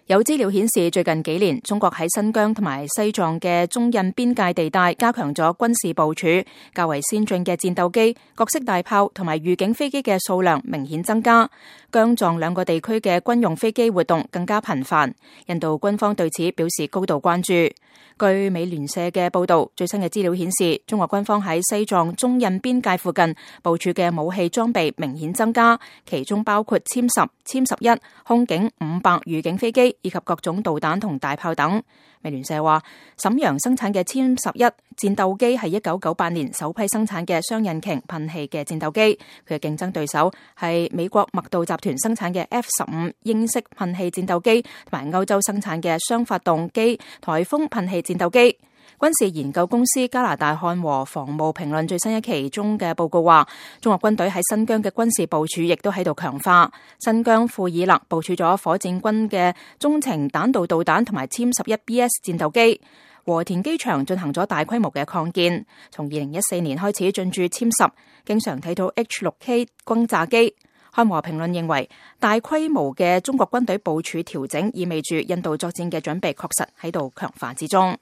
有資料顯示，最近幾年中國喺新疆同埋西藏嘅中印邊界地帶加強咗軍事部署，較為先進嘅戰鬥機、各式大炮同埋預警飛機嘅數量明顯增加。疆藏兩個地區嘅軍用飛機活動更加頻繁。印度軍方對此表示高度關注。據美聯社嘅報道，最新嘅資料顯示，中國軍方喺西藏中印邊界附近部署嘅武器裝備明顯增加，其中包括殲10、殲11、空警500預警飛機以及各種導彈同大炮等。美聯社話，瀋陽生產嘅殲11戰鬥機係1998年首批生產嘅雙引擎噴氣嘅戰鬥機，佢嘅競爭對手係美國麥道集團生產嘅 F-15 英式噴氣戰鬥機同埋歐洲生產嘅雙發動機颱風噴氣戰鬥機。軍事研究公司加拿大漢和防務評論最新一期中嘅報告話，中國軍隊喺新疆嘅軍事部署亦都喺度強化。新疆庫爾勒部署咗火箭軍嘅中程彈道導彈同埋殲11BS 戰鬥機。和田機場進行咗大規模嘅擴建，從2014年開始進駐殲10，經常睇到 H6K 轟炸機。漢和評論認為，大規模嘅中國軍隊部署調整意味住印度作戰嘅準備確實喺度強化之中。